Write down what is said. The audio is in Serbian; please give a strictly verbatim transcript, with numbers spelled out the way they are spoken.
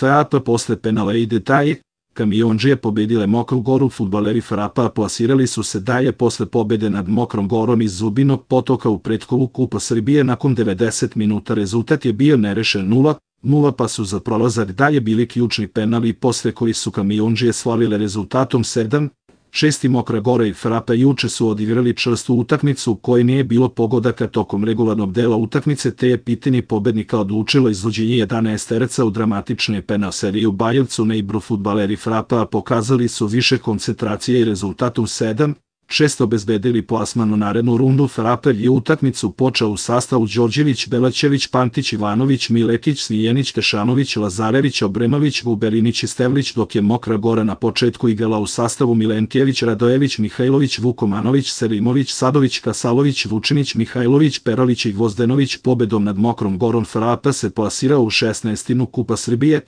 F A P posle penala i detalje, Kamiondžije pobedile Mokru Goru, fudbaleri Frapa plasirali su se dalje posle pobede nad Mokrom Gorom iz Zubinog Potoka u pretkolu Kupa Srbije nakon devedeset minuta. Rezultat je bio nerešen nula nula pa su za prolazak dalje bili ključni penali posle koji su Kamiondžije slavile rezultatom sedam šest. Mokra Gora i Frapa juče su odigrali čvrstu utakmicu u kojoj nije bilo pogodaka tokom regularnog dela utakmice, te je pitanje pobednika odlučilo izvođenje jedanaesteraca u dramatične penal serije u Bajevcu. Na Ibru fudbaleri Frapa pokazali su više koncentracije i rezultatom sedam šest obezbedili plasman u narednu rundu. Frapa je utakmicu počeo u sastavu Đorđević, Belaćević, Pantić, Ivanović, Miletić, Svijenić, Tešanović, Lazarević, Obrenović, Vuberinić i Stevlić, dok je Mokra Gora na početku igrala u sastavu Milentijević, Radojević, Mihajlović, Vukomanović, Selimović, Sadović, Kasalović, Vučinić, Mihajlović, Peralić i Gvozdenović. Pobedom nad Mokrom Gorom Frapa se plasirao u šesnaestinu Kupa Srbije.